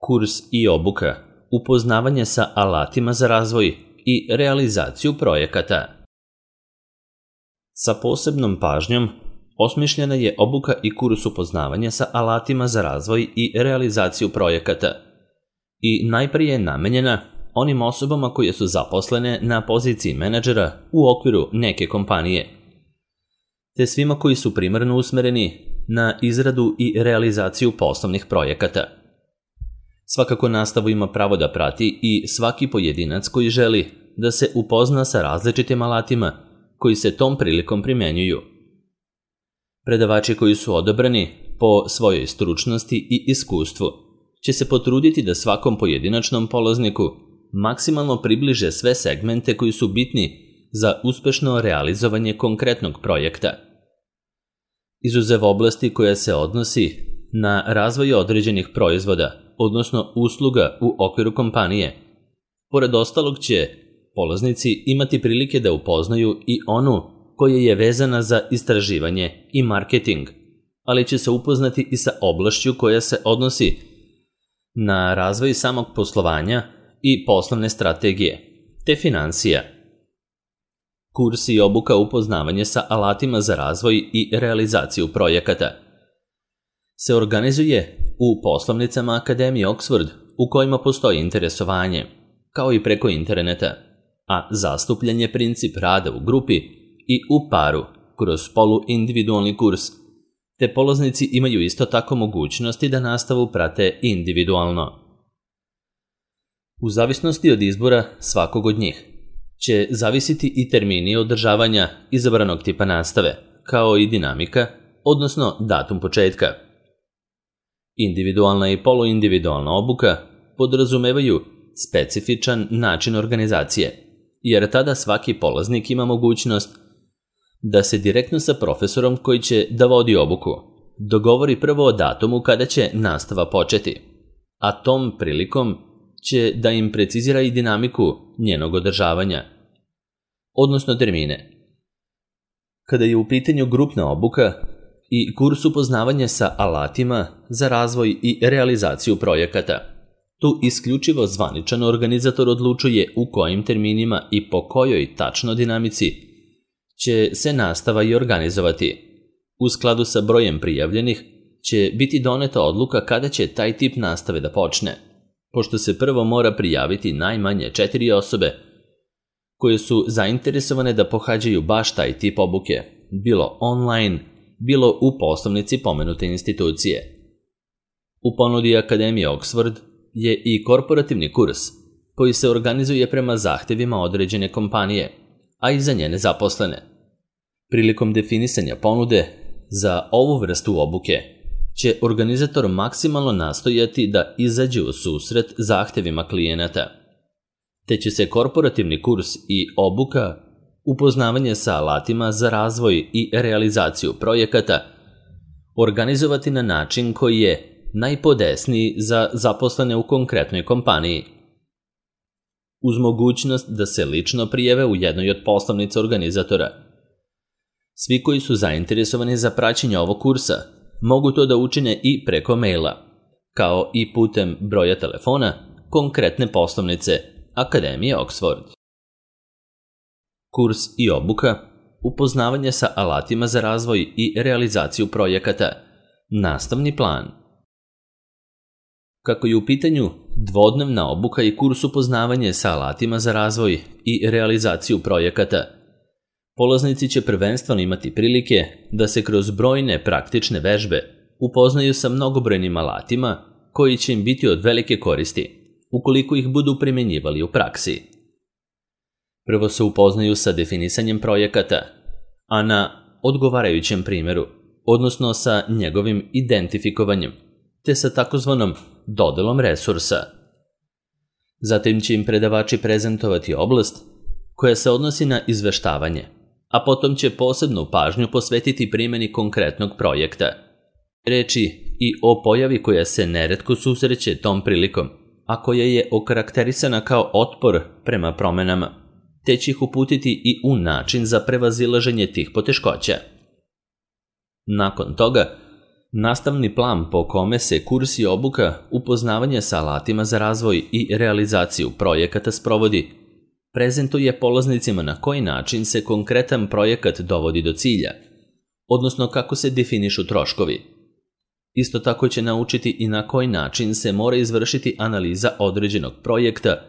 Kurs i obuka, upoznavanje sa alatima za razvoj i realizaciju projekata. Sa posebnom pažnjom osmišljena je obuka i kurs upoznavanja sa alatima za razvoj i realizaciju projekata i najprije je namenjena onim osobama koje su zaposlene na poziciji menadžera u okviru neke kompanije, te svima koji su primarno usmereni na izradu i realizaciju poslovnih projekata. Svakako nastavu ima pravo da prati i svaki pojedinac koji želi da se upozna sa različitim alatima koji se tom prilikom primjenjuju. Predavači koji su odabrani po svojoj stručnosti i iskustvu će se potruditi da svakom pojedinačnom polazniku maksimalno približe sve segmente koji su bitni za uspešno realizovanje konkretnog projekta. Izuzev oblasti koja se odnosi na razvoj određenih proizvoda, odnosno usluga u okviru kompanije, pored ostalog će polaznici imati prilike da upoznaju i onu koja je vezana za istraživanje i marketing, ali će se upoznati i sa oblašću koja se odnosi na razvoj samog poslovanja i poslovne strategije, te financija. Kurs i obuka upoznavanje sa alatima za razvoj i realizaciju projekata se organizuje u poslovnicama Akademije Oxford u kojima postoji interesovanje, kao i preko interneta, a zastupljen je princip rada u grupi i u paru kroz poluindividualni kurs, te polaznici imaju isto tako mogućnosti da nastavu prate individualno. U zavisnosti od izbora svakog od njih će zavisiti i termini održavanja izabranog tipa nastave, kao i dinamika, odnosno datum početka. Individualna i poluindividualna obuka podrazumevaju specifičan način organizacije, jer tada svaki polaznik ima mogućnost da se direktno sa profesorom koji će da vodi obuku dogovori prvo o datumu kada će nastava početi, a tom prilikom će da im precizira i dinamiku njenog održavanja, odnosno termine. Kada je u pitanju grupna obuka i kurs upoznavanja sa alatima za razvoj i realizaciju projekata, tu isključivo zvaničan organizator odlučuje u kojim terminima i po kojoj tačno dinamici će se nastava i organizovati. U skladu sa brojem prijavljenih će biti doneta odluka kada će taj tip nastave da počne, pošto se prvo mora prijaviti najmanje 4 osobe koje su zainteresovane da pohađaju baš taj tip obuke, bilo online, bilo u poslovnici pomenute institucije. U ponudi Akademije Oxford je i korporativni kurs koji se organizuje prema zahtevima određene kompanije, a i za njene zaposlene. Prilikom definisanja ponude za ovu vrstu obuke će organizator maksimalno nastojati da izađe u susret zahtevima klijenata, te će se korporativni kurs i obuka upoznavanje sa alatima za razvoj i realizaciju projekata organizovati na način koji je najpodesniji za zaposlene u konkretnoj kompaniji. Uz mogućnost da se lično prijave u jednoj od poslovnica organizatora. Svi koji su zainteresovani za praćenje ovog kursa mogu to da učine i preko maila, kao i putem broja telefona konkretne poslovnice Akademije Oxford. Kurs i obuka, upoznavanje sa alatima za razvoj i realizaciju projekata, nastavni plan. Kako je u pitanju dvodnevna obuka i kurs upoznavanje sa alatima za razvoj i realizaciju projekata, polaznici će prvenstveno imati prilike da se kroz brojne praktične vežbe upoznaju sa mnogobrojnim alatima koji će im biti od velike koristi ukoliko ih budu primjenjivali u praksi. Prvo se upoznaju sa definisanjem projekata, a na odgovarajućem primjeru, odnosno sa njegovim identifikovanjem, te sa takozvanom dodelom resursa. Zatim će im predavači prezentovati oblast koja se odnosi na izveštavanje, a potom će posebnu pažnju posvetiti primjeni konkretnog projekta. Reči i o pojavi koja se neretko susreće tom prilikom, a koja je okarakterisana kao otpor prema promenama, te će ih uputiti i u način za prevazilaženje tih poteškoća. Nakon toga, Nastavni plan po kome se kurs i obuka upoznavanje sa alatima za razvoj i realizaciju projekata sprovodi, prezentuje polaznicima na koji način se konkretan projekat dovodi do cilja, odnosno kako se definišu troškovi. Isto tako će naučiti i na koji način se mora izvršiti analiza određenog projekta,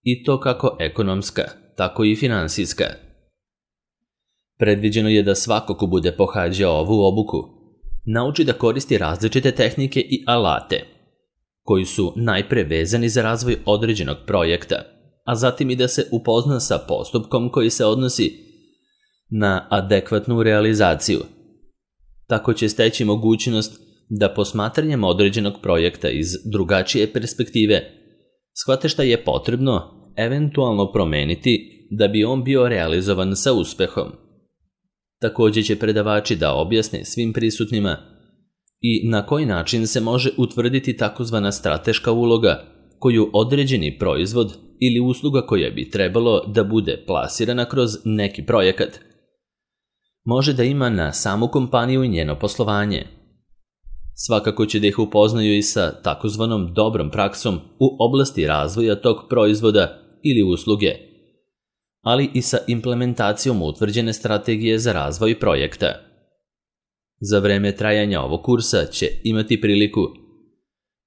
i to kako ekonomska, tako i finansijska. Predviđeno je da svako ko bude pohađao ovu obuku nauči da koristi različite tehnike i alate, koji su najpre vezani za razvoj određenog projekta, a zatim i da se upozna sa postupkom koji se odnosi na adekvatnu realizaciju. Tako će steći mogućnost da posmatranjem određenog projekta iz drugačije perspektive shvate šta je potrebno eventualno promeniti da bi on bio realizovan sa uspehom. Također će predavači da objasne svim prisutnima i na koji način se može utvrditi takozvana strateška uloga koju određeni proizvod ili usluga koja bi trebalo da bude plasirana kroz neki projekat može da ima na samu kompaniju i njeno poslovanje. Svakako će da ih upoznaju i sa takozvanom dobrom praksom u oblasti razvoja tog proizvoda ili usluge, ali i sa implementacijom utvrđene strategije za razvoj projekta. Za vreme trajanja ovog kursa će imati priliku,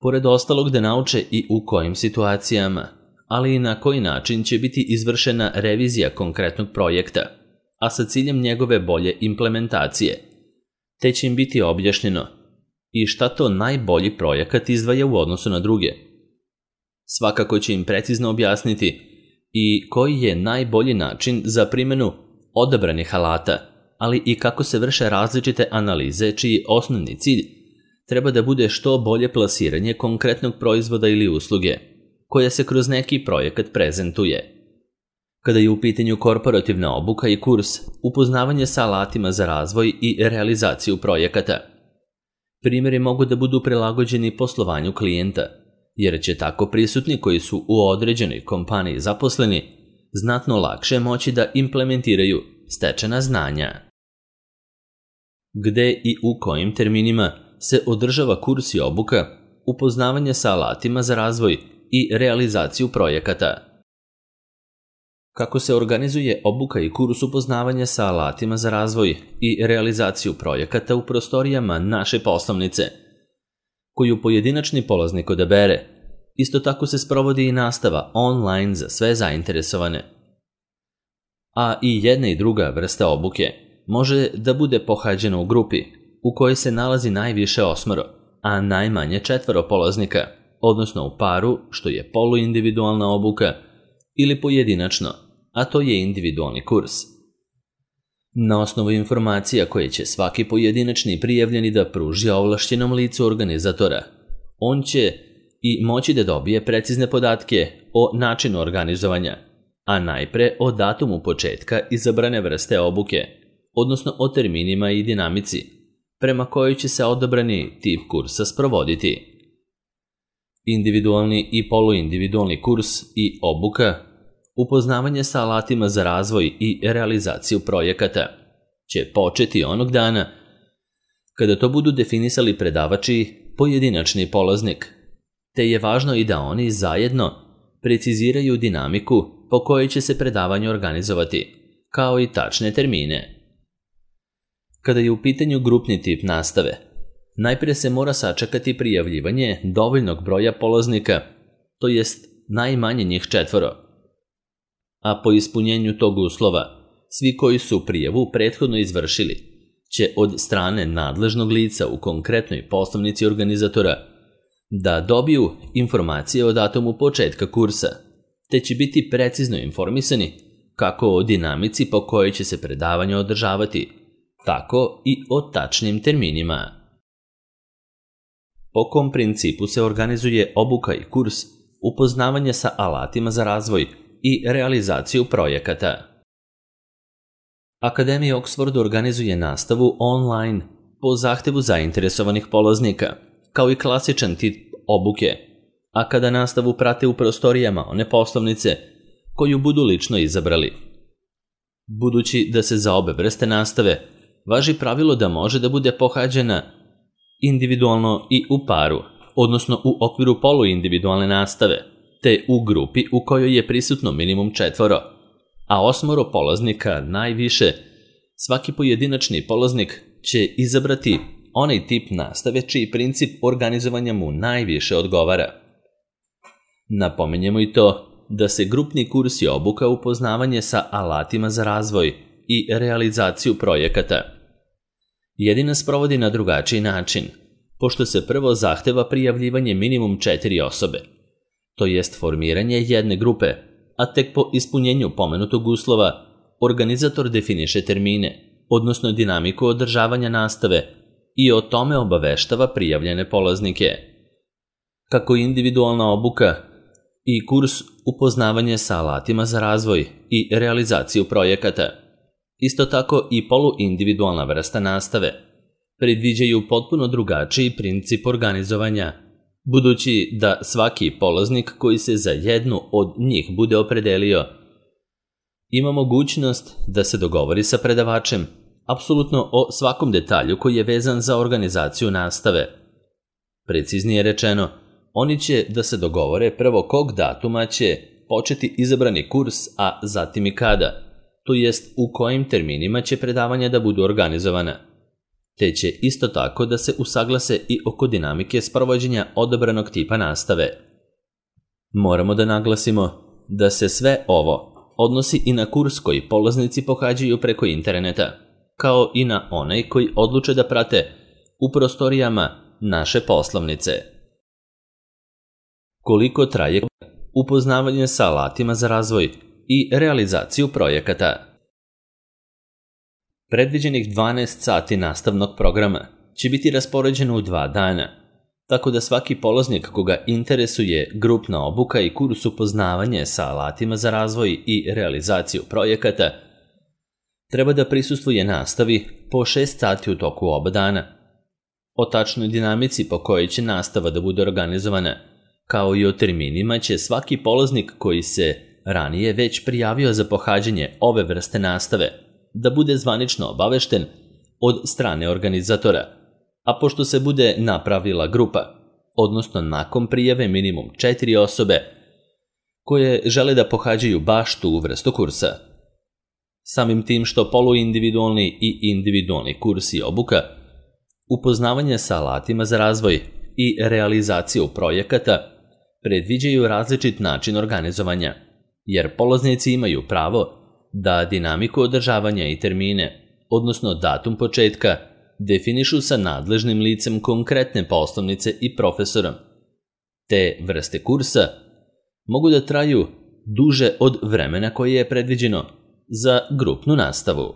pored ostalog, da nauče i u kojim situacijama, ali i na koji način će biti izvršena revizija konkretnog projekta, a sa ciljem njegove bolje implementacije, te će im biti objašnjeno i šta to najbolji projekat izdvaja u odnosu na druge. Svakako će im precizno objasniti i koji je najbolji način za primjenu odabranih alata, ali i kako se vrše različite analize čiji osnovni cilj treba da bude što bolje plasiranje konkretnog proizvoda ili usluge, koja se kroz neki projekat prezentuje. Kada je u pitanju korporativna obuka i kurs, upoznavanje sa alatima za razvoj i realizaciju projekata, primjeri mogu da budu prilagođeni poslovanju klijenta, jer će tako prisutni koji su u određenoj kompaniji zaposleni znatno lakše moći da implementiraju stečena znanja. Gde i u kojim terminima se održava kurs i obuka upoznavanje sa alatima za razvoj i realizaciju projekata? Kako se organizuje obuka i kurs upoznavanja sa alatima za razvoj i realizaciju projekata u prostorijama naše poslovnice, koju pojedinačni polaznik odabere? Isto tako se sprovodi i nastava online za sve zainteresovane. A i jedna i druga vrsta obuke može da bude pohađena u grupi u kojoj se nalazi najviše 8, a najmanje 4 polaznika, odnosno u paru, što je poluindividualna obuka, ili pojedinačno, a to je individualni kurs. Na osnovu informacija koje će svaki pojedinačni prijavljeni da pruži ovlašćenom licu organizatora, on će i moći da dobije precizne podatke o načinu organizovanja, a najpre o datumu početka izabrane vrste obuke, odnosno o terminima i dinamici, prema kojoj će se odabrani tip kursa sprovoditi. Individualni i poluindividualni kurs i obuka, upoznavanje sa alatima za razvoj i realizaciju projekata, će početi onog dana kada to budu definisali predavači pojedinačni polaznik, te je važno i da oni zajedno preciziraju dinamiku po kojoj će se predavanje organizovati, kao i tačne termine. Kada je u pitanju grupni tip nastave, najprije se mora sačekati prijavljivanje dovoljnog broja polaznika, to jest najmanje njih 4. A po ispunjenju tog uslova, svi koji su prijavu prethodno izvršili će od strane nadležnog lica u konkretnoj poslovnici organizatora da dobiju informacije o datumu početka kursa, te će biti precizno informisani kako o dinamici po kojoj će se predavanje održavati, tako i o tačnim terminima. Po kom principu se organizuje obuka i kurs upoznavanje sa alatima za razvoj i realizaciju projekata? Akademija Oxford organizuje nastavu online po zahtevu zainteresovanih polaznika, kao i klasičan tip obuke, a kada nastavu prate u prostorijama one poslovnice koju budu lično izabrali. Budući da se za obe vrste nastave važi pravilo da može da bude pohađena individualno i u paru, odnosno u okviru poluindividualne nastave, te u grupi u kojoj je prisutno minimum 4, a 8 polaznika najviše. Svaki pojedinačni polaznik će izabrati onaj tip nastave čiji princip organizovanja mu najviše odgovara. Napominjemo i to da se grupni kurs je obuka upoznavanje sa alatima za razvoj i realizaciju projekata. Jedina sprovodi na drugačiji način, pošto se prvo zahteva prijavljivanje minimum 4 osobe, to jest formiranje jedne grupe, a tek po ispunjenju pomenutog uslova organizator definiše termine, odnosno dinamiku održavanja nastave i o tome obaveštava prijavljene polaznike. Kako individualna obuka i kurs upoznavanje sa alatima za razvoj i realizaciju projekata, isto tako i poluindividualna vrsta nastave, predviđaju potpuno drugačiji princip organizovanja, budući da svaki polaznik koji se za jednu od njih bude opredelio ima mogućnost da se dogovori sa predavačem apsolutno o svakom detalju koji je vezan za organizaciju nastave. Preciznije rečeno, oni će da se dogovore prvo kog datuma će početi izabrani kurs, a zatim i kada, to jest u kojim terminima će predavanja da budu organizovana. Te će isto tako da se usaglase i oko dinamike sprovođenja odabranog tipa nastave. Moramo da naglasimo da se sve ovo odnosi i na kurs koji polaznici pohađaju preko interneta, kao i na onaj koji odluče da prate u prostorijama naše poslovnice. Koliko traje upoznavanje sa alatima za razvoj i realizaciju projekata? Predviđenih 12 sati nastavnog programa će biti raspoređeno u 2 dana, tako da svaki polaznik koga interesuje grupna obuka i kurs upoznavanje sa alatima za razvoj i realizaciju projekata treba da prisustvuje nastavi po 6 sati u toku oba dana. O tačnoj dinamici po kojoj će nastava da bude organizovana, kao i o terminima će svaki polaznik koji se ranije već prijavio za pohađanje ove vrste nastave da bude zvanično obavešten od strane organizatora, a pošto se bude napravila grupa, odnosno nakon prijave minimum 4 osobe koje žele da pohađaju baš tu vrstu kursa. Samim tim što poluindividualni i individualni kurs i obuka, upoznavanje sa alatima za razvoj i realizaciju projekata predviđaju različit način organizovanja, jer polaznici imaju pravo da dinamiku održavanja i termine, odnosno datum početka, definišu sa nadležnim licem konkretne poslovnice i profesorom. Te vrste kursa mogu da traju duže od vremena koje je predviđeno za grupnu nastavu.